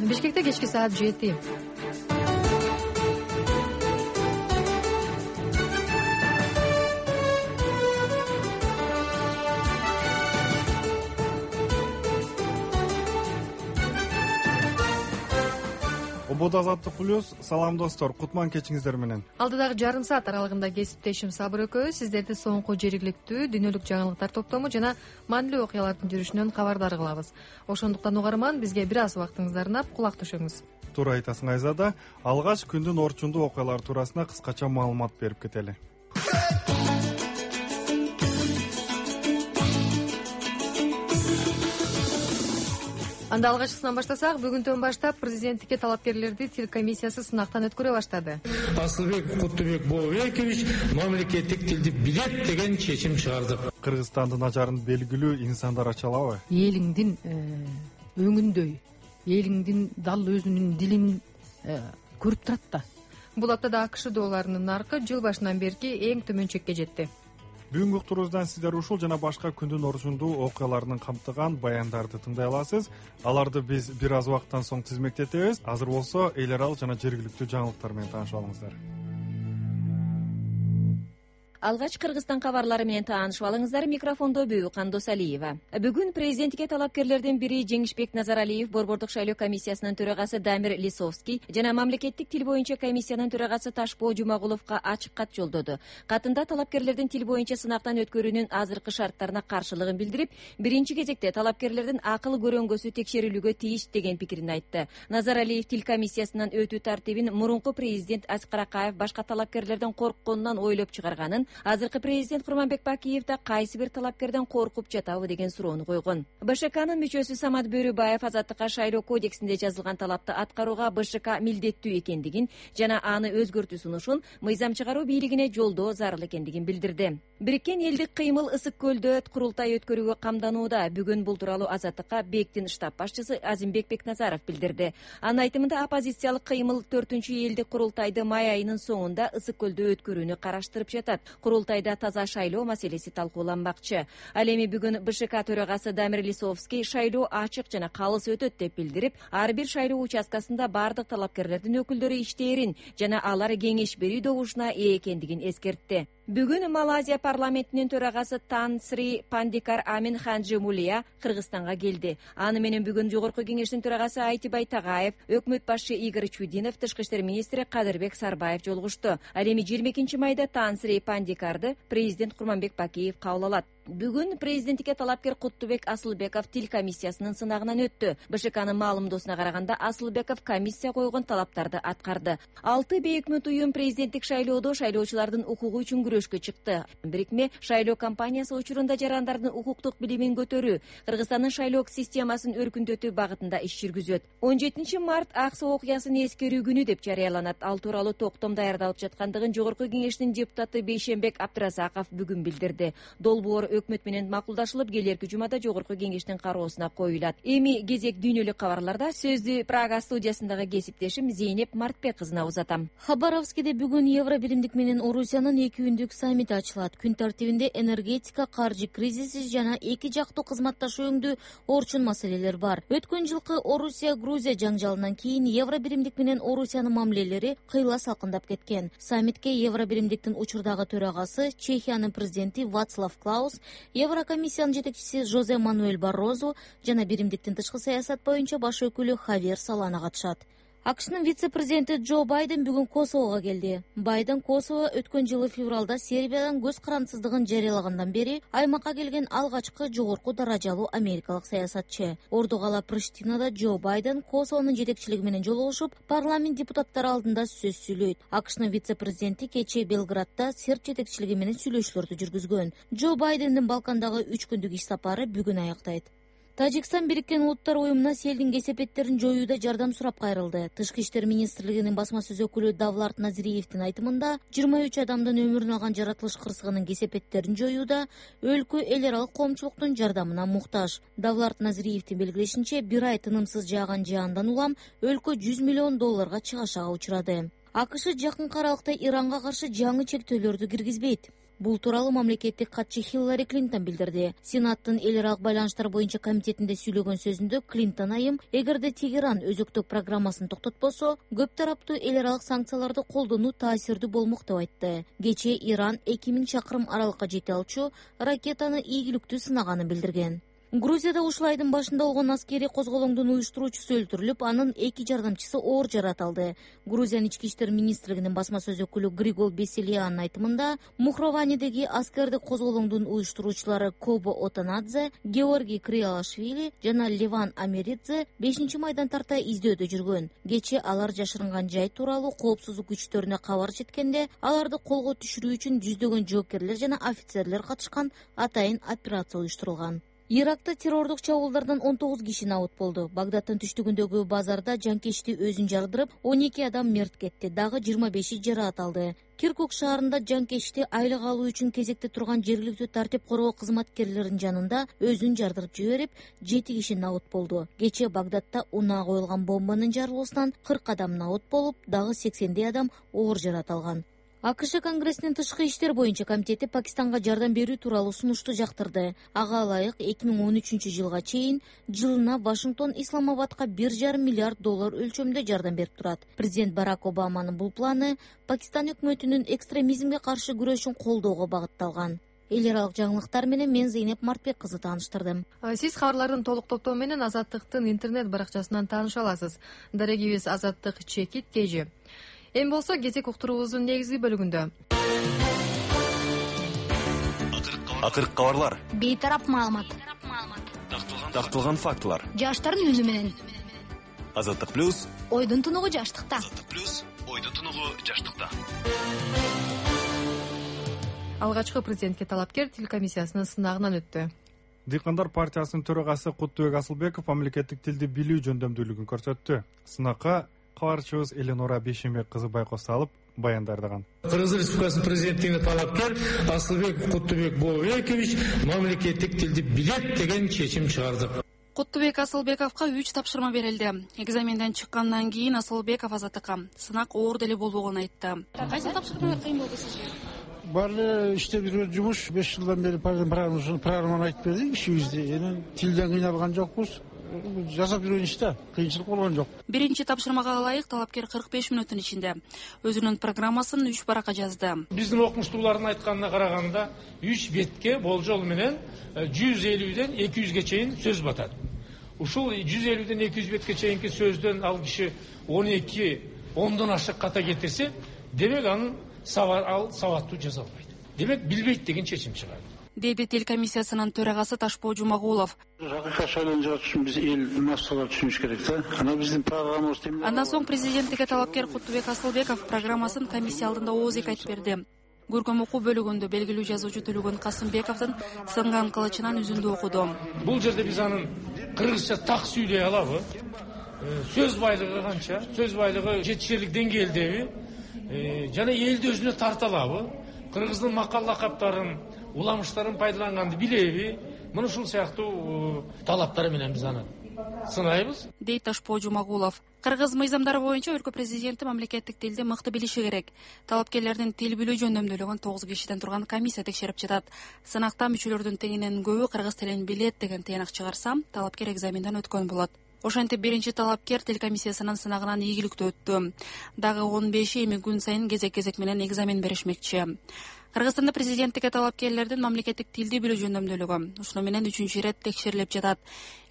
Бишкекте кечки саат 7. Ободо Азаттык плюс. Салам достор, кутман кечиңиздер менен. Алдыдагы жарым саат аралыгында кесиптешим Сабыр экөөбүз сиздерди соңку жергиликтүү дүйнөлүк жаңылыктар топтому жана маанилүү окуялардын жүрүшүнөн кабардар кылабыз. Ошондуктан угарман, бизге бир аз убактыңызды арнап кулак түшүңүз. Туура айтасың Айзада. Алгач күндүн орчундуу окуялары туурасында кыскача маалымат берип кетели. Анда алгачкысынан баштасак, бүгүнтөн баштап президенттикке талапкерлерди тил комиссиясы сынактан өткөрө баштады. Асылбек Куттубек Бообекович мамлекеттик тилди билет деген чечим чыгарды. Кыргызстандын ажарын белгилүү инсандар ачалабы? Элиңдин өңүндөй, элиңдин дал өзүнүн дилин көрүп турат да. Бул аптада АКШ долларынын наркы жыл башынан берки эң төмөн чекке жетти. Бүгүнкү уктуруубуздан сиздер ушул жана башка күндүн орчундуу окуяларын камтыган баяндарды тыңдай аласыз. Аларды биз бир аз убакыттан соң тизмектетебиз. Азыр болсо эл аралык жана жергиликтүү жаңылыктар менен таанышып алыңыздар. Алгач Кыргызстан кабарлары менен таанышып алыңыздар. Микрофондо Бүйүкан Досалиева. Бүгүн президенттикке талапкерлердин бири Жеңишбек Назаралиев, Борбордук шайлоо комиссиясынын төрагасы Дамир Лисовский жана мамлекеттик тил боюнча комиссиянын төрагасы Ташпоо Жумагуловго ачык кат жолдоду. Катында талапкерлердин тил боюнча сынактан өткөрүүнүн азыркы шарттарына каршылыгын билдирип, биринчи кезекте талапкерлердин акыл көрөңгөсү текшерилүүгө тийиш деген пикирин айтты. Назаралиев тил комиссиясынан өтүү тартибин мурунку президент Аскар Акаев башка талапкерлердин коркконунан ойлоп чыгарганын, азыркы президент Курманбек Бакиев да кайсы бир талапкерден коркуп жатабы деген суроону койгон. БШКнын мүчөсү Самат Бөрүбаев Азаттыкка шайлоо кодексинде жазылган талапты аткарууга БШК милдеттүү экендигин жана аны өзгөртүү сунушун мыйзам чыгаруу бийлигине жолдоо зарыл экендигин билдирди. Бириккен элдик кыймыл Ысык көлдө курултай өткөрүүгө камданууда. Бүгүн бул тууралуу Азаттыкка БЕКтин штаб башчысы Азимбек Бекназаров билдирди. Анын айтымында оппозициялык кыймыл 4-чү элдик курултайды май айынын соңунда Ысык көлдө өткөрүүнү караштырып жатат. Курултайда таза шайлоо маселеси талкууланмакчы. Ал эми бүгүн БШК төрагасы Дамир Лисовский шайлоо ачык жана калыс өтөт деп билдирип, ар бир шайлоо участкасында бардык талапкерлердин өкүлдөрү иштээрин жана алар кеңеш берүү добушуна ээ экендигин эскертти. Бүгүн Малайзия парламентинин төрагасы Тан Сри Пандикар Амин Ханджи Мулия Кыргызстанга келди. Аны менен бүгүн Жогорку кеңештин төрагасы Айтибай Тагаев, өкмөт башчы Игорь Чудинов, тышкы иштер министри Кадырбек Сарбаев жолугушту. Ал эми 22 майда Тан Сри Пандикарды президент Курманбек Бакиев кабыл алат. Бүгүн президенттикке талапкер Куттубек Асылбеков тил комиссиясынын сынагынан өттү. БШКнын маалымдоосуна караганда Асылбеков комиссия койгон талаптарды аткарды. 6 бейөкмөт уюм президенттик шайлоодо шайлоочулардын укугу үчүн күрөшкө чыкты. Бирикме шайлоо кампаниясы учурунда жарандардын укуктук билимин көтөрүү, Кыргызстандын шайлоо системасын өркүндөтүү багытында иш жүргүзөт. 17 март ак соо окуясын эскерүү күнү деп жарыяланат. Ал тууралуу токтом даярдалып жаткандыгын Жогорку кеңештин депутаты Бейшембек Абдыразаков бүгүн билдирди. Долбоор өкмөт менен макулдашылып, келерки жумада Жогорку кеңештин кароосуна коюлат. Эми кезек дүйнөлүк кабарларда. Сөздү Прага студиясындагы кесиптешим Зейнеп Мартбек кызына узатам. Хабаровскиде бүгүн Евро биримдик менен Орусиянын 2 күндүк саммити ачылат. Күн тартибинде энергетика, каржы кризиси жана эки жактуу кызматташуу өңдүү орчун маселелер бар. Өткөн жылкы Орусия-Грузия жаңжалынан кийин Евро биримдик менен Орусиянын мамилелери кыйла салкындап кеткен. Саммитке Евро биримдиктин учурдагы төрагасы Чехиянын президенти Вацлав Клаус, Еврокомиссиянын жетекчиси Жозе Мануэль Баррозу жана биримдиктин тышкы саясат боюнча баш өкүлү Хавьер Солана катышат. АКШнын вице-президенти Джо Байден бүгүн Косового келди. Байден Косово өткөн жылы февралда Сербиядан көз карандсыздыгын жарыялагандан бери аймакка келген алгачкы жогорку даражалуу америкалык саясатчы. Ордугала Приштинада Джо Байден Косовонун жетекчилиги менен жолугушуп, парламент депутаттары алдында сөз сүйлөйт. АКШнын вице-президенти кечээ Белградда Серб жетекчилиги менен сүйлөшүүлөрдү жүргүзгөн. Джо Байдендин Балкандагы 3 күндүк иш сапары бүгүн аяктайт. Тажикстан Бириккен Улуттар уюмуна селдин кесепеттерин жоюуда жардам сурап кайрылды. Тышкы иштер министрлигинин басма сөз өкүлү Давлат Назириевдин айтымында 23 адамдын өмүрүн алган жаратылыш кырсыгынын кесепеттерин жоюуда өлкө эл аралык коомчулуктун жардамына муктаж. Давлат Назириевдин белгилешинче, бир ай тынымсыз жааган жаандан улам өлкө $100 миллион чыгашага учурады. АКШ жакынкы аралыкта Иранга каршы жаңы чектөөлөрдү киргизбейт. Бул тууралуу мамлекеттик катчы Хиллари Клинтон билдирди. Сенаттын эл аралык байланыштар боюнча комитетинде сүйлөгөн сөзүндө Клинтон айым, эгерде Тегеран өзөктүк программасын токтотпосо, көп тараптуу эл аралык санкцияларды колдонуу таасирдүү болмок деп айтты. Кечээ Иран 2000 чакырым аралыкка жете алчу ракетаны ийгиликтүү сынаганын билдирген. Грузияда ушул айдын башында болгон аскерий козголоңдун уюштуруучусу өлтүрүлүп, анын 2 жардамчысы оор жаратылды. Грузиянын ички иштер министрлигинин басма сөз өкүлү Григол Беселиянын айтымында, Мухрованидеги аскердик козголоңдун уюштуруучулары Кобо Отанадзе, Георгий Криалашвили жана Леван Америдзе 5-майдан тарта издөөдө жүргөн. Кечээ алар жашырынган жай тууралуу коопсуздук күчтөрүнө кабар жеткенде, аларды колго түшүрүү үчүн жүздөгөн жоокерлер жана офицерлер катышкан атайын операция уюштурулган. Иракта террордук чабуулдардан 19 киши набыт болду. Багдаддын түштүгүндөгү базарда жанкечти өзүн жардырып, 12 адам мерт кетти, дагы 25 жараат алды. Киркук шаарында жанкечти айлык алуу үчүн кезекте турган жергиликтүү тартип коргоо кызматкерлеринин жанында өзүн жардырып жиберип, 7 киши набыт болду. Кечээ Багдадда унаа коюлган бомбанын жарылуусунан 40 адам набыт болуп, дагы 80 адам оор жараат алган. АКШ Конгрессинин тышкы иштер боюнча комитети Пакистанга жардам берүү тууралуу сунушту жактырды. Ага ылайык 2013-жылга чейин жылына Вашингтон Исламабадка $1,5 миллиард өлчөмүндө жардам берип турат. Президент Барак Обаманын бул планы Пакистан өкмөтүнүн экстремизмге каршы күрөшүн колдоого багытталган. Эл аралык жаңылыктар менен мен Зейнеп Мартбек кызы тааныштырдым. Сиз кабарлардын толук топтоо менен Азаттыктын интернет баракчасынан тааныша аласыз. Дарегибиз Azаттык.kg. Эми болсо кезек уктуруубуздун негизги бөлүгүндө акыркы кабарлар, бейтарап маалымат, такталган фактылар. жаштардын үнү менен Азаттык плюс, ойдун тунугу жаштыкта. Азаттык плюс, ойдун тунугу жаштыкта. алгачкы президентке талапкер тил комиссиясынын сынагынан өттү. Дыйкандар партиясынын төрагасы Куттубек Асылбеков мамлекеттик тилди билүү жөндөмдүүлүгүн көрсөттү. Сынакка кабарчыбыз Эленора Бейшембек кызы байкоос салып баяндардыган. Кыргыз Республикасынын президенттигине талапкер Асылбек Куттубек Бообекович мамлекеттик тилди билет деген чечим чыгарды. Куттубек Асылбековго 3 тапшырма берилди. Экзаменден чыккандан кийин Асылбеков Азаттыкка сынак оор деле болбогонун айтты. Кайсы тапшырма кыйын болду сизге? Бар эле иштеп жүргөн жумуш 5 жылдан бери программаны айтып бердик ишибизди. Эми тилден кыйналган жокпуз. Жасап жүргөн иште кыйынчылык болгон жок. Биринчи тапшырмага ылайык талапкер 45 мүнөттүн ичинде өзүнүн программасын 3 баракка жазды. Биздин окумуштуулардын айтканына караганда 3 бетке болжол менен 150ден 200ге чейин сөз батат. Ушул 150ден 200 бетке чейинки сөздөн ал киши 12-10дон ашык ката кетирсе, демек анын сабаттуу жаза албайт. Демек билбейт деген чечим чыгат. Деди тил комиссиясынын төрагасы Ташпоо Жумагулов. Акыркы шайлануу жаратыш үчүн биз эл массалар түшүнүш керек да. Анан биздин программабыз темир. Андан соң президенттикке талапкер Куттубек Асылбеков программасын комиссия алдында ооз эки айтып берди. Көркөм окуу бөлүгүндө белгилүү жазуучу Төлөгөн Касымбековдун сынган кылычынан үзүндү окуду. Бул жерде биз анын кыргызча так сүйлөй алабы? Сөз байлыгы канча? Сөз байлыгы жетишерлик деңгээлдеби? Жана элди өзүнө тарта алабы? Кыргыздын макал лакаптарын, уламыштарын пайдаланганды билеби? Мына ушул сыяктуу талаптар менен биз аны сынайбыз. Дейт Ташпоо Жумагулов. Кыргыз мыйзамдары боюнча өлкө президенти мамлекеттик тилди мыкты билиши керек. Талапкерлердин тил билүү жөндөмдүүлүгүн 9 кишиден турган комиссия текшерип жатат. Сынакта мүчөлөрдүн теңинен көбү кыргыз тилин билет деген тыянак чыгарса, талапкер экзаменден өткөн болот. Ошентип биринчи талапкер тил комиссиясынын сынагынан ийгиликтүү өттү. Дагы 15 эми күн сайын кезек менен экзамен беришмекчи. Кыргызстанда президенттикке талапкерлердин мамлекеттик тилди билүү жөндөмдүүлүгү ушуну менен 3-чү ирет текшерилип жатат.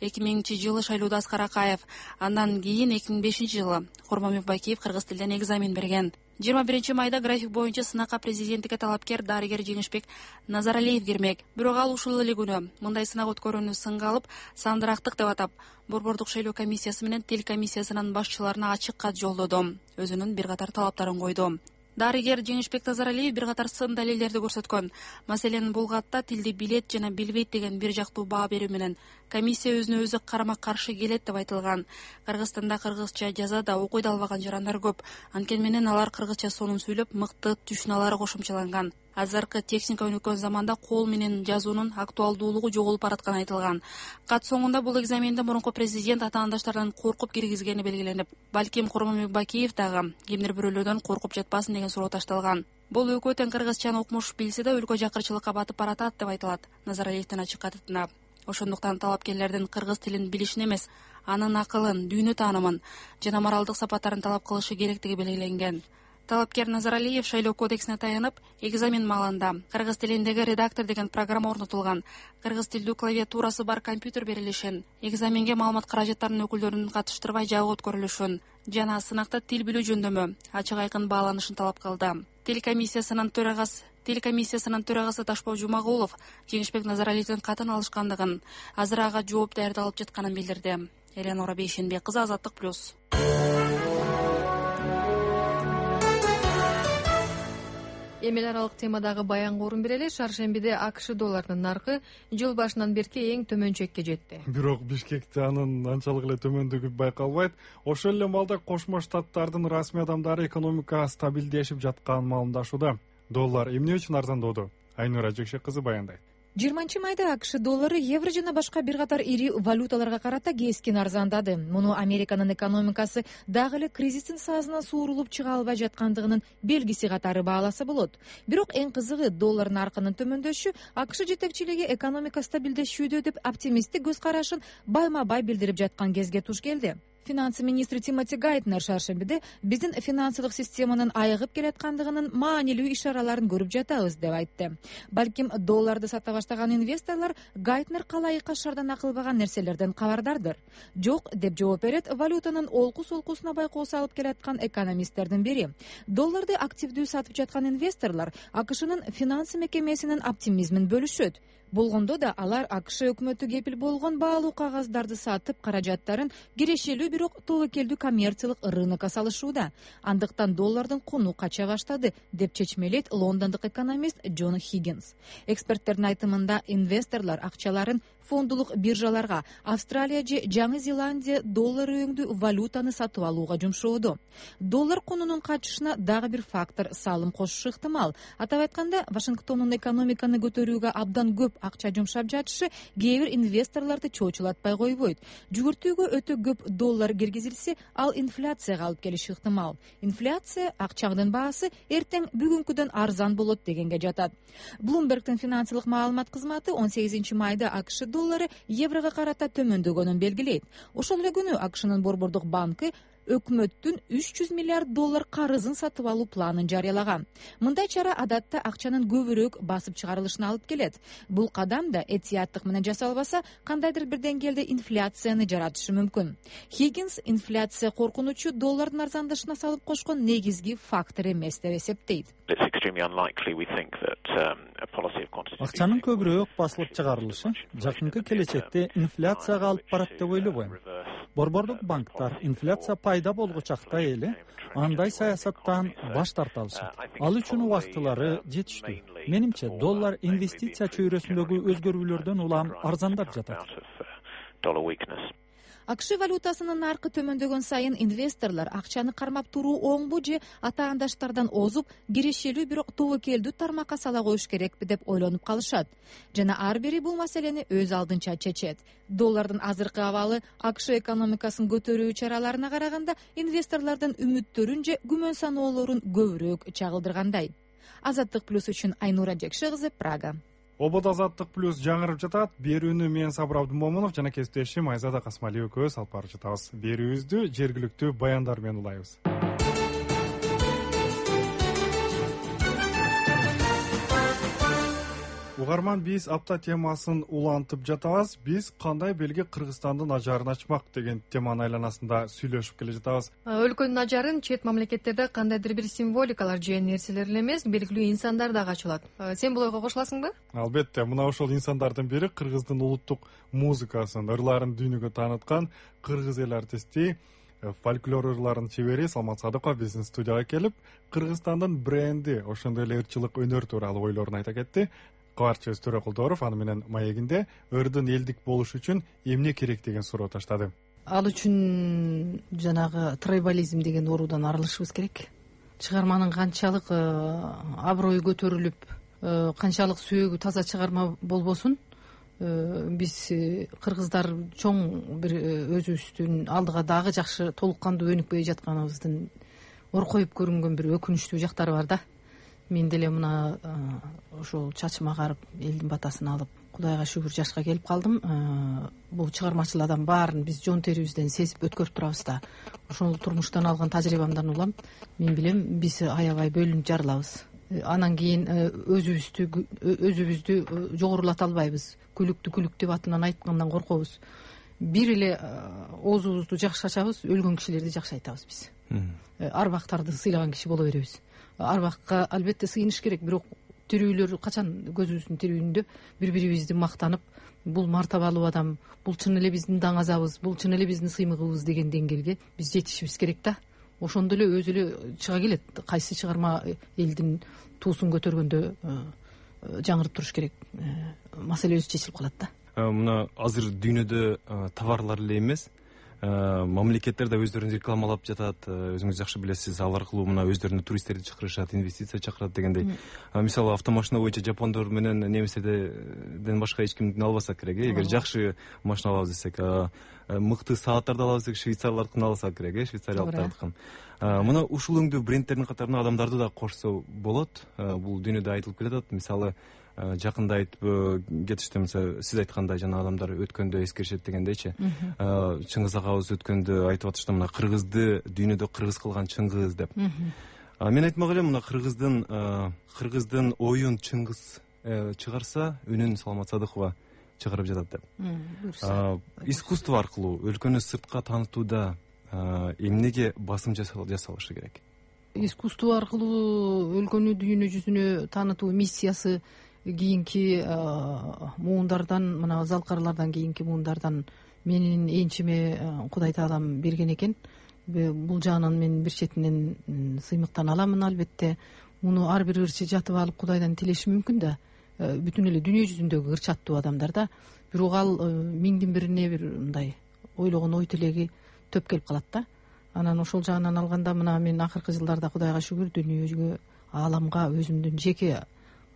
2000-жылы шайлоодо Аскар Акаев, андан кийин 2005-жылы Курманбек Бакиев кыргыз тилден экзамен берген. 21 майда график боюнча сынакка президенттикке талапкер дарыгер Жеңишбек Назаралиев кирмек. Бирок ал ушул эле күнү мындай сынак өткөрүүнү сынга алып, сандырактык деп атап, Борбордук шайлоо комиссиясы менен тил комиссиясынын башчыларына ачык кат жолдоду. Өзүнүн бир катар талаптарын койду. Дарыгер Жеңишбек Назаралиев бир катар сын далилдерди көрсөткөн. Маселен, бул катта тилди билет жана билбейт деген бир жактуу баа берүү менен комиссия өзүнө өзү карама-каршы келет деп айтылган. Кыргызстанда кыргызча жаза да окуй да албаган жарандар көп. Анткени менен алар кыргызча сонун сүйлөп, мыкты түшүнүлары кошумчаланган. Азыркы техника өнүккөн заманда кол менен жазуунун актуалдуулугу жоголуп баратканы айтылган. Кат соңунда бул экзаменде мурунку президент атаандаштардан коркуп киргизгени белгиленип, балким Курманбек Бакиев дагы кимдир бирөөлөрдөн коркуп жатпасын деген суроо ташталган. Бул экөө тең кыргызчаны укмуш билсе да өлкө жакырчылыкка батып баратат деп айтылат Назаралиевдин ачык катытында. Ошондуктан талапкерлердин кыргыз тилин билишин эмес, анын акылын, дүйнө таанымын жана моралдык сапаттарын талап кылышы керектиги белгиленген. Талапкер Назаралиев шайлоо кодексине таянып, экзамен маалында кыргыз тилиндеги редактор деген программа орнотулган, кыргыз тилдүү клавиатурасы бар компьютер берилишин, экзаменге маалымат каражаттарынын өкүлдөрүн катыштырбай жабы өткөрүлүшүн жана сынакта тил билүү жөндөмү ачык айкын бааланышын талап кылды. Тил комиссиясынын төрагасы Ташпоо Жумагулов Жеңишбек Назаралиевдин катын алышкандыгын, азыр ага жооп даярдалып жатканын билдирди. Эленора Бейшенбек кызы, Азаттык плюс. Эми эл аралык темадагы баянга орун берели. Шаршембиде АКШ долларынын наркы жыл башынан берки эң төмөн чекке жетти. Бирок Бишкекте анын анчалык эле төмөндүгү байкалбайт. Ошол эле маалда Кошмо Штаттардын расмий адамдары экономика стабилдешип жатканын маалымдашууда. Доллар эмне үчүн арзандоодо? Айнура Жекшек кызы баяндайт. 20-майда АКШ доллары евро жана башка бир катар ири валюталарга карата кескин арзандады. Муну Американын экономикасы дагы эле кризистин саазынан суурулуп чыга албай жаткандыгынын белгиси катары бааласа болот. Бирок эң кызыгы доллар наркынын төмөндөшү АКШ жетекчилиги экономика стабилдешүүдө деп оптимисттик көз карашын байма-бай билдирип жаткан кезге туш келди. Финансы министри Тимоти Гайтнер шаршембиде биздин финансылык системанын айыгып келаткандыгынын маанилүү ишараларын көрүп жатабыз деп айтты. Балким долларды сата баштаган инвесторлор Гайтнер калайыкка шардан акылбаган нерселерден кабардардыр. Жок деп жооп берет валютанын олку-солкусуна байкоо салып келаткан экономисттердин бири. Долларды активдүү сатып жаткан инвесторлор АКШнын финансы мекемесинин оптимизмин бөлүшөт. Болгондо да алар АКШ өкмөтү кепил болгон баалуу кагаздарды сатып, каражаттарын кирешелүү бирок тобокелдүү коммерциялык рынокко салышууда. Андыктан доллардын куну кача баштады деп чечмелейт лондондук экономист Джон Хиггинс. Эксперттердин айтымында инвесторлор акчаларын фондулук биржаларга, Австралия же Жаңы Зеландия доллар өңдүү валютаны сатып алууга жумшоодо. Доллар кунунун качышына дагы бир фактор салым кошушу ыктымал. Атап айтканда, Вашингтондун экономиканы көтөрүүгө абдан көп акча жумшап жатышы кээ бир инвесторлорду чоочулатпай койбойт. Жүгүртүүгө өтө көп доллар киргизилсе, ал инфляцияга алып келиши ыктымал. Инфляция акчаңдын баасы эртең бүгүнкүдөн арзан болот дегенге жатат. Bloomberg'тин финансылык маалымат кызматы 18-майда АКШ доллары еврого карата төмөндөгөнүн белгилейт. Ошол эле күнү АКШнын борбордук банкы өкмөттүн 300 миллиард доллар карызын сатып алуу планын жарыялаган. Мындай чара адатта акчанын көбүрөөк басып чыгарылышына алып келет. Бул кадам да этияттык менен жасалбаса, кандайдыр бир деңгээлде инфляцияны жаратышы мүмкүн. Хиггинс инфляция коркунучу доллардын арзандашына салып кошкон негизги фактор эмес деп эсептейт. Акчанын көбүрөөк басылып чыгарылышы жакынкы келечекте инфляцияга алып барат деп ойлобойм. Борбордук банктар инфляция пайда болгучакта эле андай саясаттан баш тарта алышат. Ал үчүн убактылары жетиштүү. Менимче доллар инвестиция чөйрөсүндөгү өзгөрүүлөрдөн улам арзандап жатат. АКШ валютасынын наркы төмөндөгөн сайын инвесторлор акчаны кармап туруу оңбу же атаандаштардан озуп, кирешелүү бирок тобокелдүү тармакка сала коюш керекпи деп ойлонуп калышат. Жана ар бири бул маселени өз алдынча чечет. Доллардын азыркы абалы АКШ экономикасын көтөрүү чараларына караганда инвесторлордун үмүттөрүн же күмөн саноолорун көбүрөөк чагылдыргандай. Азаттык плюс үчүн Айнура Жекшек кызы, Прага. Ободо Азаттык плюс жаңырып жатат. Берүүнү мен Сабыр Абдымомунов жана кесиптешим Айзада Касмали экөөбүз алып барып жатабыз. Берүүбүздү жергиликтүү баяндар менен улайбыз. Угарман, биз апта темасын улантып жатабыз. Биз кандай белги Кыргызстандын ажарын ачмак деген теманын айланасында сүйлөшүп келе жатабыз. Өлкөнүн ажарын чет мамлекеттерде кандайдыр бир символикалар же нерселер эле эмес, белгилүү инсандар дагы ачылат. Сен бул ойго кошуласыңбы? Албетте, мына ошол инсандардын бири Кыргыздын улуттук музыкасын, ырларын дүйнөгө тааныткан кыргыз эл артисти, фольклор ырларынын чебери Салмат Садыков биздин студияга келип, Кыргызстандын бренди, ошондой эле ырчылык өнөр тууралуу ойлорун айта кетти. Кабарчыбыз Төрө Кулдоров аны менен маегинде ырдын элдик болуш үчүн эмне керек деген суроо таштады. Ал үчүн жанагы трайбализм деген оруудан арылышыбыз керек. Чыгарманын канчалык аброю көтөрүлүп, канчалык сөөгү таза чыгарма болбосун, биз кыргыздар чоң бир өзүбүздүн алдыга дагы жакшы толук кандуу өнүкпөй жатканыбыздын оркоюп көрүнгөн бир өкүнүчтүү жактары бар да. мен деле мына ошол чачым агарып элдин батасын алып Кудайга шүгүр жашка келип калдым. Бул чыгармачылардан баарын биз жон терибизден сезип өткөрүп турабыз да. Ошол турмуштан алган тажрыйбамдан улам мен билем биз аябай бөлүнүп жарылабыз. Анан кийин өзүбүздү жогорулата албайбыз. Күлүктү күлүк деп атынан айткандан коркобуз. Бир эле оозубузду жакшы ачабыз, өлгөн кишилерди жакшы айтабыз биз. Арбактарды сыйлаган киши боло беребиз. Арбакка албетте сыйыныш керек, бирок тирүүлөр качан көзүбүздүн тирүүндө бири-бирибизди мактанып, бул мартабалуу адам, бул чын эле биздин даңазабыз, бул чын эле биздин сыймыгыбыз деген деңгээлге биз жетишибиз керек да. Ошондо эле өзү эле чыга келет. Кайсы чыгарма элдин туусун көтөргөндө жаңырып туруш керек. Маселе өзү чечилип калат да. Мына азыр дүйнөдө товарлар эле эмес, мамлекеттер да өздөрүн рекламалап жатат. Өзүңүз жакшы билесиз, ал аркылуу мына өздөрүнүн туристтерди чакырышат, инвестиция чакырат дегендей. Мисалы автомашина боюнча жапондор менен немистерден башка эч кимдин албасак керек. Эгер жакшы машина алабыз десек, мыкты сааттарды алабыз десек, швейцарлардыкын алсак керек, швейцариялыктардыкын. Мына ушул өңдүү брендтердин катарына адамдарды да кошсо болот. Бул дүйнөдө айтылып келатат. Мисалы жакында айтып кетишти, мисалы сиз айткандай, жана адамдар өткөндө эскеришет дегендейчи. Чыңгыз агабыз өткөндө айтып атышты, мына кыргызды дүйнөдө кыргыз кылган Чыңгыз деп. Мен айтмак элем, мына кыргыздын оюн Чыңгыз чыгарса, үнүн Саламат Садыкова чыгарып жатат деп. Искусство аркылуу өлкөнү сыртка таанытууда эмнеге басым жасалышы керек? Искусство аркылуу өлкөнү дүйнө жүзүнө таанытуу миссиясы кийинки муундардан, мына залкарлардан кийинки муундардан менин энчиме Кудай Таалам берген экен. Бул жагынан мен бир четинен сыймыктан аламын, албетте. Муну ар бир ырчы жатып алып Кудайдан тилеши мүмкүн да. Бүтүн эле дүйнө жүзүндөгү ырчаттуу адамдар да. Бирок ал миңдин бирине бир мындай ойлогон ой тилеги төп келип калат да. Анан ошол жагынан алганда мына мен акыркы жылдарда Кудайга шүгүр дүйнөгө, ааламга өзүмдүн жеке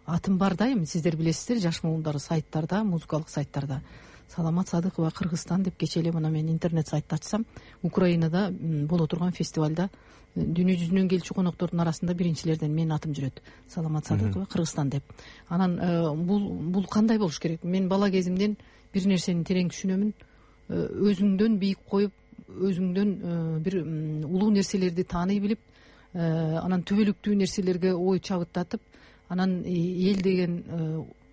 атым бар да. Эми сиздер билесиздер, жаш муундар сайттарда, музыкалык сайттарда Саламат Садыкова Кыргызстан деп кечээ эле мына мен интернет сайтты ачсам, Украинада боло турган фестивалда дүйнө жүзүнөн келчү коноктордун арасында биринчилерден менин атым жүрөт. Саламат Садыкова Кыргызстан деп. Анан бул кандай болуш керек? Мен бала кезимден бир нерсени терең түшүнөмүн. Өзүңдөн бийик коюп, өзүңдөн бир улуу нерселерди тааный билип, анан түбөлүктүү нерселерге ой чабыттатып, анан эл деген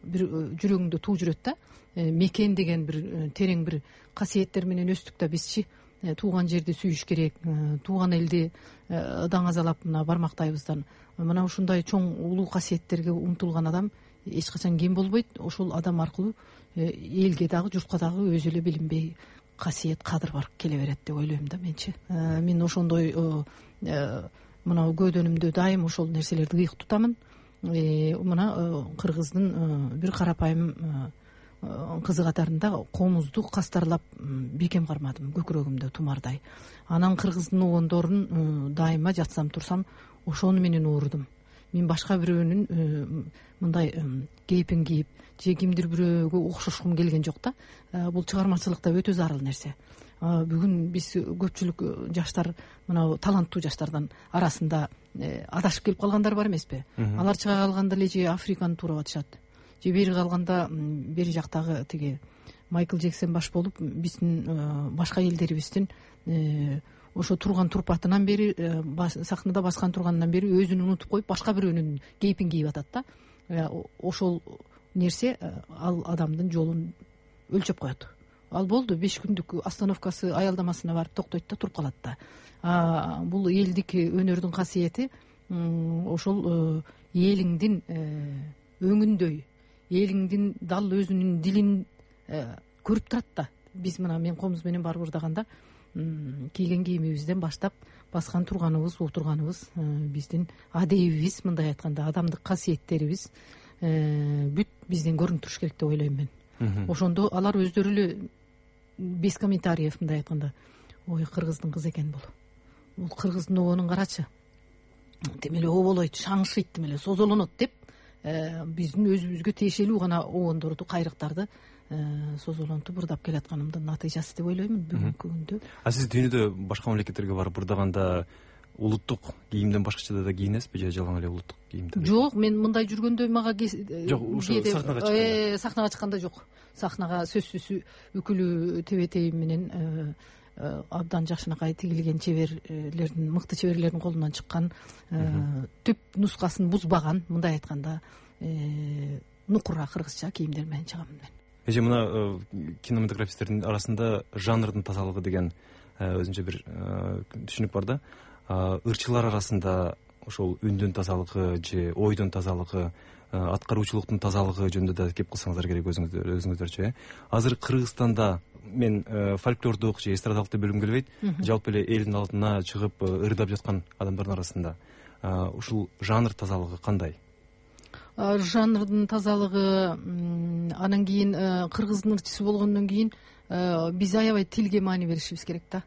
бир жүрөгүңдө туу жүрөт да. Мекен деген бир терең бир касиеттер менен өстүк да бизчи. Тууган жерди сүйүш керек, тууган элди даңазалап мына бармактайбыздан. Мына ушундай чоң улуу касиеттерге умтулган адам эч качан кем болбойт. Ошол адам аркылуу элге дагы, журтка дагы өзү эле билинбей касиет, кадыр бар келе берет деп ойлойм да менчи. Мен ошондой мына көдөнүмдө дайым ошол нерселерди ыйык тутамын. Мына кыргыздын бир карапайым кызы катарында комузду кастарлап бекем кармадым, көкүрөгүмдө тумардай. Анан кыргыздын огондорун дайыма жатсам турсам ошону менен уурдум. Мен башка бирөөнүн мындай кейпин кийип же кимдир бирөөгө окшошкум келген жок да. Бул чыгармачылыкта өтө зарыл нерсе. Бүгүн биз көпчүлүк жаштар, мына таланттуу жаштардан арасында адашып келип калгандар бар эмеспи? Алар чыга калганда эле же Африканы туурап атышат, же бери калганда бери жактагы тиги Майкл Джексон баш болуп, биздин башка элдерибиздин ошо турган турпатынан бери, сахнада баскан турганынан бери өзүн унутуп коюп, башка бирөөнүн кейпин кийип атат да. Ошол нерсе ал адамдын жолун өлчөп коет. Ал болду 5 күндүк остановкасы аялдамасына барып токтойт да, туруп калат да. Бул элдик өнөрдүн касиети ошол элиңдин өңүндөй, элиңдин дал өзүнүн дилин көрүп турат да. Биз мына мен комуз менен барып ырдаганда кийген кийимибизден баштап баскан турганыбыз, отурганыбыз, биздин адебибиз, мындай айтканда адамдык касиеттерибиз бүт бизден көрүнүп туруш керек деп ойлойм мен. Ошондо алар өздөрү эле без комментариев, мындай айтканда, ой, кыргыздын кызы экен бул. Бул кыргыздын огонун карачы. Тим эле оболойт, шаңшыйт, тим эле созолонот деп биздин өзүбүзгө тиешелүү гана огондорду, кайрыктарды созолонтуп ырдап келатканымдын натыйжасы деп ойлоймун бүгүнкү күндө. Сиз дүйнөдө башка мамлекеттерге барып ырдаганда улуттук кийимден башкача да кийинесизби же жалаң эле улуттук кийимде? Жок, мен мындай жүргөндө мага жок, ушу сахнага чыкканда. Сахнага чыкканда жок. Сахнага сөзсүз үкүлүү тебетейим менен абдан жакшынакай тигилген чеберлердин, мыкты чеберлердин колунан чыккан, түп нускасын бузбаган, мындай айтканда нукура кыргызча кийимдер менен чыгам мен. Эже мына кинематографисттердин арасында жанрдын тазалыгы деген өзүнчө бир түшүнүк бар да. Ырчылар арасында ошол үндүн тазалыгы же ойдун тазалыгы, аткаруучулуктун тазалыгы жөнүндө да кеп кылсаңыздар керек өзүңүздөрчү. Азыр Кыргызстанда мен фольклордук же эстрадалык деп бөлгүм келбейт, жалпы эле элдин алдына чыгып ырдап жаткан адамдардын арасында ушул жанр тазалыгы кандай? Жанрдын тазалыгы, анан кийин кыргыздын ырчысы болгондон кийин биз аябай тилге маани беришибиз керек да.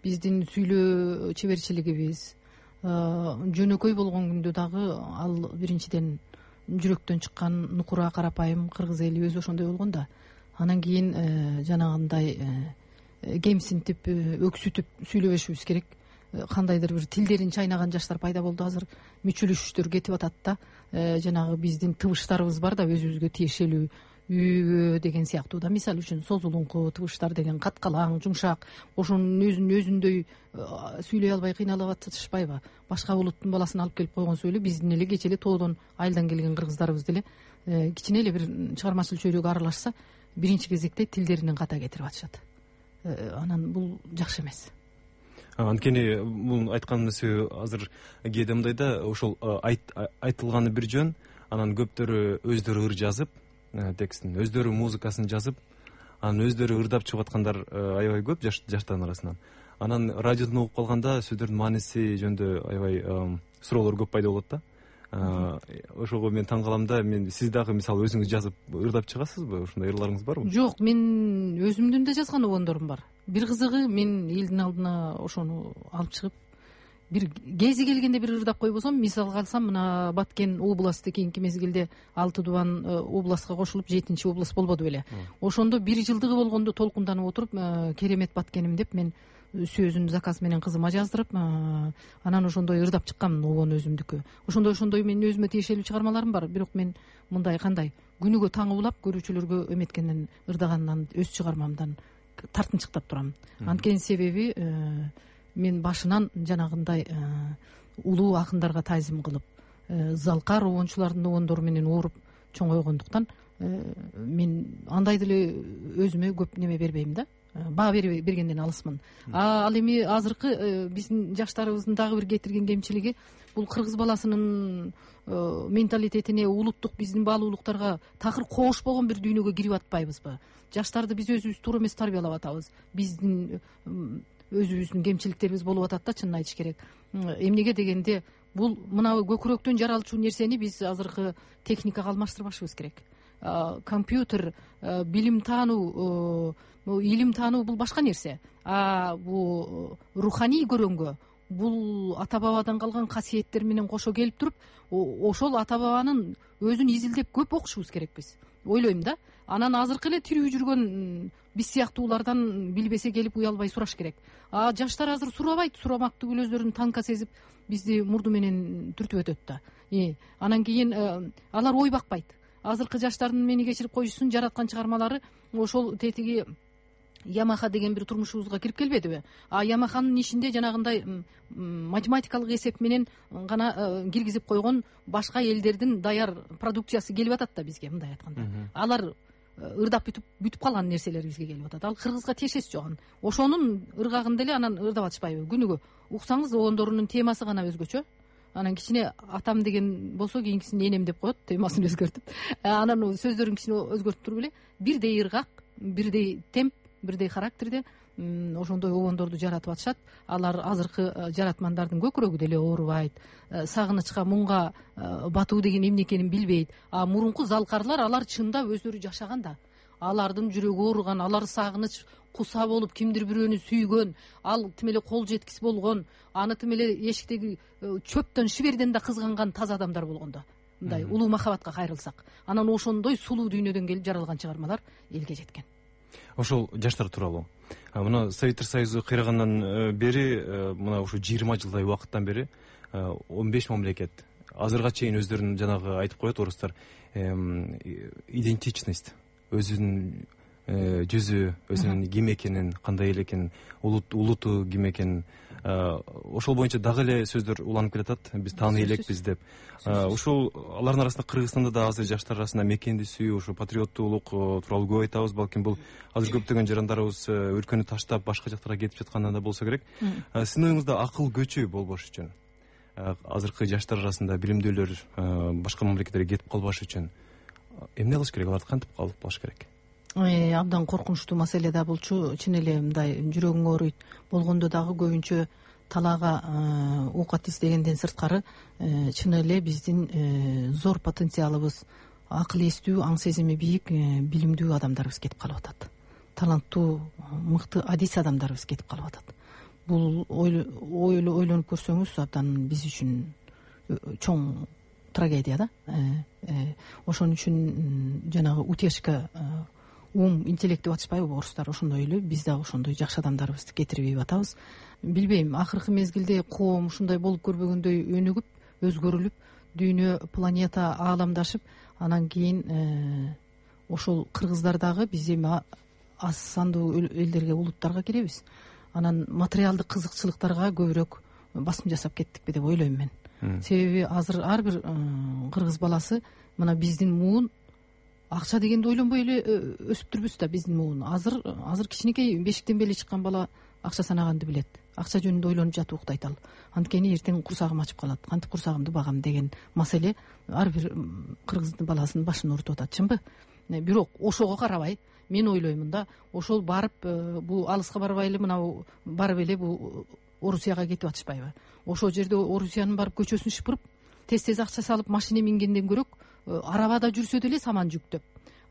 Биздин сүйлөө чеберчилигибиз жөнөкөй болгон күндө дагы ал биринчиден жүрөктөн чыккан нукура карапайым кыргыз эли өзү ошондой болгон да. Анан кийин жанагындай кемсинтип, өксүтүп сүйлөбөшүбүз керек. Кандайдыр бир тилдерин чайнаган жаштар пайда болду. Азыр мүчүлүштөр кетип атат да. Жанагы биздин тыбыштарыбыз бар да, өзүбүзгө тиешелүү, үйгө деген сыяктуу да. Мисалы үчүн созулуңку тыбыштар деген каткалаң, жумшак, ошонун өзүндөй сүйлөй албай кыйналып атышпайбы? Башка улуттун баласын алып келип койгон сөйлөп, биздин эле кече эле тоодон айылдан келген кыргыздарыбыз деле кичине эле бир чыгармачыл чөйрөгө аралашса, биринчи кезекте тилдеринен ката кетирип атышат. Анан бул жакшы эмес. Анткени бул айткан нерсе азыр кээде мындай да, ошол айтылганы бир жөн, анан көптөрү өздөрү ыр жазып, текстин өздөрү музыкасын жазып, анан өздөрү ырдап чыгып аткандар аябай көп жаштардын арасынан. Анан радиодон угуп калганда сөздөрдүн мааниси жөнүндө аябай суроолор көп пайда болот да. Ошого мен таң калам да. Сиз дагы мисалы өзүңүз жазып ырдап чыгасызбы? Ушундай ырларыңыз барбы? Жок, мен өзүмдүн да жазган обондорум бар. Бир кызыгы, мен элдин алдына ошону алып чыгып, бир кези келгенде бир ырдап койбосом, мисалга алсам, мына Баткен областы кийинки мезгилде 6 дубан областка кошулуп 7-чи област болбоду беле. Ошондо 1 жылдыгы болгондо толкунданып отуруп, керемет Баткеним деп мен сөзүн заказ менен кызыма жаздырып, анан ошондой ырдап чыккам обон өзүмдүкү. Ошондой мен өзүмө тиешелүү чыгармаларым бар, бирок мен мындай кандай күнүгө таң улап көрүүчүлөргө эметкенден ырдагандан өз чыгармамдан тартынчыктап турам. Анткени себеби мен башынан жанагындай улуу акындарга тайзым кылып, залкар обончулардын обондору менен ооруп чоңойгондуктан мен андай деле өзүмө көп неме бербейм да. Баа бергенден алысмын. Ал эми азыркы биздин жаштарыбыздын дагы бир кетирген кемчилиги, бул кыргыз баласынын менталитетине, улуттук биздин баалуулуктарга такыр коош болгон бир дүйнөгө кирип атпайбызбы? Жаштарды биз өзүбүз туура эмес тарбиялап атабыз. Биздин өзүбүздүн кемчиликтерибиз болуп атат да, чынын айтыш керек. Эмнеге дегенде, бул мына көкүрөктөн жаралчу нерсени биз азыркы техникага алмаштырбашыбыз керек. Компьютер, билим таануу, илим таануу бул башка нерсе. Бул руханий көрөнгө, бул ата бабадан калган касиеттер менен кошо келип туруп, ошол ата бабанын өзүн изилдеп көп окушубуз керек биз. Ойлойм да. Анан азыркы эле тирүү жүргөн биз сыяктуулардан билбесе келип уялбай сураш керек. Жаштар азыр сурабайт, сурамак түгүл өздөрүн танка сезип бизди мурду менен түртүп өтөт да. Анан кийин алар ой бакпайт. Азыркы жаштардын мени кечирип коюшсун жараткан чыгармалары ошол тетиги Ямаха деген бир турмушубузга кирип келбедиби? Ямаханын ишинде жанагындай математикалык эсеп менен гана киргизип койгон башка элдердин даяр продукциясы келип атат да бизге, мындай айтканда. Алар ырдап бүтүп калган нерселер бизге келип атат. Ал кыргызга тиешеси жок. Ошонун ыргагын деле анан ырдап атышпайбы? Күнүгө уксаңыз, обондорунун темасы гана өзгөчө. Анан кичине атам деген болсо, кийинкисин энем деп коет, темасын өзгөртүп. Анан сөздөрүн кичине өзгөртүп туруп эле бирдей ыргак, бирдей темп, бирдей характерде ошондой обондорду жаратып атышат. Алар азыркы жаратмандардын көкүрөгү деле оорубайт, сагынычка, муңга батуу деген эмне экенин билбейт. Мурунку залкарлар, алар чындап өздөрү жашаган да. Алардын жүрөгү ооруган, алар сагыныч куса болуп кимдир бирөөнү сүйгөн, ал тим эле кол жеткис болгон, аны тим эле эшиктеги чөптөн, шиберден да кызганган таза адамдар болгон да. Мындай улуу махабатка кайрылсак, анан ошондой сулуу дүйнөдөн келип жаралган чыгармалар элге жеткен. ошол жаштар тууралуу. Мына Советтер Союзу кыйрагандан бери, мына ушу 20 жылдай убакыттан бери 15 мамлекет азырга чейин өздөрүнүн жанагы айтып коет орустар, идентичность, өзүнүн жүзү, өзүнүн ким экенин, кандай эл экенин, улуту ким экенин, ошол боюнча дагы эле сөздөр уланып келатат. Биз тааны элекпиз деп. Ушул алардын арасында Кыргызстанда да азыр жаштар арасында мекенди сүйүү, ушу патриоттуулук тууралуу көп айтабыз. Балким бул азыр көптөгөн жарандарыбыз өлкөнү таштап башка жактарга кетип жатканда да болсо керек. Сиздин оюңузда акыл көчү болбош үчүн, азыркы жаштар арасында билимдүүлөр башка мамлекеттерге кетип калбаш үчүн эмне кылыш керек? Аларды кантип алып калыш керек? Абдан коркунучтуу маселе да булчу. Чын эле мындай жүрөгүң ооруйт. Болгондо дагы көбүнчө талаага оокат издегенден сырткары чын эле биздин зор потенциалыбыз, акыл эстүү, аң сезими бийик, билимдүү адамдарыбыз кетип калып атат. Таланттуу, мыкты адис адамдарыбыз кетип калып атат. Бул ойлонуп көрсөңүз абдан биз үчүн чоң трагедия да. Ошон үчүн жанагы утешка, интеллект деп атышпайбы орустар, ошондой эле биз дагы ошондой жакшы адамдарыбызды кетирбей атабыз. Билбейм, акыркы мезгилде коом ушундай болуп көрбөгөндөй өнүгүп, өзгөрүлүп, дүйнө, планета ааламдашып, анан кийин ошол кыргыздар дагы биз эми аз сандуу элдерге, улуттарга киребиз. Анан материалдык кызыкчылыктарга көбүрөөк басым жасап кеттикпи деп ойлойм мен. Себеби азыр ар бир кыргыз баласы мына биздин муун акча дегенди ойлонбой эле өсүп турбуз да. Биздин муун азыр кичинекей бешиктен беле чыккан бала акча санаганды билет. Акча жөнүндө ойлонуп жатып уктайт ал. Анткени эртең курсагым ачып калат, кантип курсагымды багам деген маселе ар бир кыргыздын баласынын башын ооруп атат, чынбы? Бирок ошого карабай мен ойлоймун да, ошол барып бул алыска барбай эле мына барып эле бул Орусияга кетип атышпайбы? Ошол жерде Орусиянын барып көчөсүн шыпырып, тез акча салып машина мингенден көрөк арабада жүрсө деле саман жүктөп,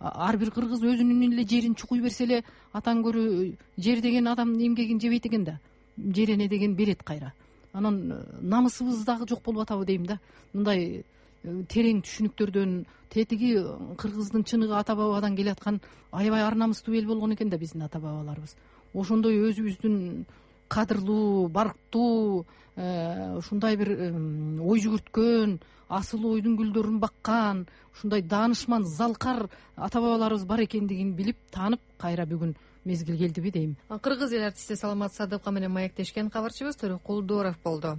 ар бир кыргыз өзүнүн эле жерин чукуй берсе эле атан көрө жер деген адамдын эмгегин жебейт экен да. Жерене деген берет кайра. Анан намысыбыз дагы жок болуп атабы дейм да. Мындай терең түшүнүктөрдөн тетиги кыргыздын чыныгы ата бабадан келаткан аябай ар намыстуу эл болгон экен да биздин ата бабаларыбыз. Ошондой өзүбүздүн кадырлуу, барктуу, ушундай бир ой жүгүрткөн, асыл ойдун гүлдөрүн баккан, ушундай даанышман, залкар ата бабаларыбыз бар экендигин билип, таанып, кайра бүгүн мезгил келдиби дейм. Кыргыз эл артисти Саламат Садыкова менен маектешкен кабарчыбыз Төрөкул Дооров болду.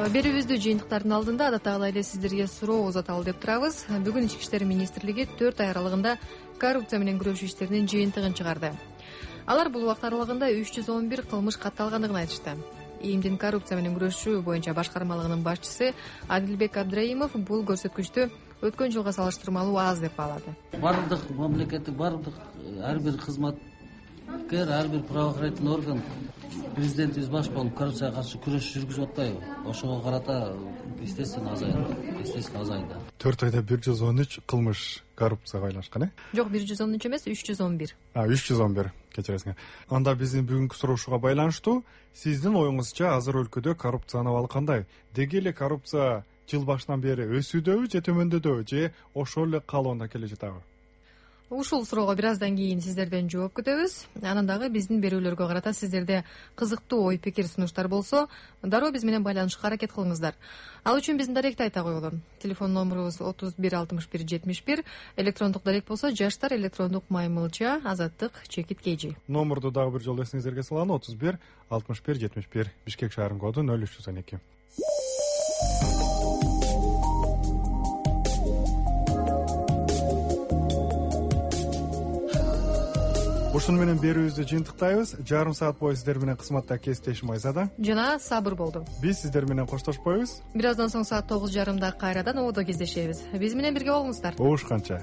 Берүүбүздү жыйынтыктардын алдында адаттагылай эле сиздерге суроо узаталы деп турабыз. Бүгүн Ички иштер министрлиги 4 ай аралыгында коррупция менен күрөшүү иштеринин жыйынтыгын чыгарды. Алар бул убакыт аралыгында 311 кылмыш катталгандыгын айтышты. ИИМдин коррупция менен күрөшүү боюнча башкармалыгынын башчысы Адилбек Абдраимов бул көрсөткүчтү өткөн жылга салыштырмалуу аз деп баалады. Бардык мамлекеттик, бардык ар бир кызматкер, ар бир правоохранительный орган президентибиз баш болуп коррупцияга каршы күрөш жүргүзүп атпайбы? Ошого карата естественно азайды. 4 айда 113 кылмыш коррупцияга байланышкан, Жок, 113 эмес, 311. 311, кечиресиңер. Анда биздин бүгүнкү суроошуга байланыштуу сиздин оюңузча азыр өлкөдө коррупциянын абалы кандай? Деги эле коррупция жыл башынан бери өсүүдөбү же төмөндөдүбү же ошол эле калыбында келе жатабы? Ушул суроого бир аздан кийин сиздерден жооп күтөбүз. Анан дагы биздин берүүлөргө карата сиздерде кызыктуу ой пикир сунуштар болсо, дароо биз менен байланышка аракет кылыңыздар. Ал үчүн биздин даректи айта коелу. Телефон номерубуз 316171, электрондук дарек болсо жаштар электрондук @ azаттык_kg. Номерду дагы бир жолу эсиңиздерге салалы: 316171, Бишкек шаарынын коду 0312. Ушуну менен берүүбүздү жыйынтыктайбыз. Жарым саат бою сиздер менен кызматта кесиптешим Айзада жана Сабыр болду. Биз сиздер менен коштошпойбуз. Бир аздан соң саат 9:30 кайрадан ободо кездешебиз. Биз менен бирге болуңуздар. Угушканча.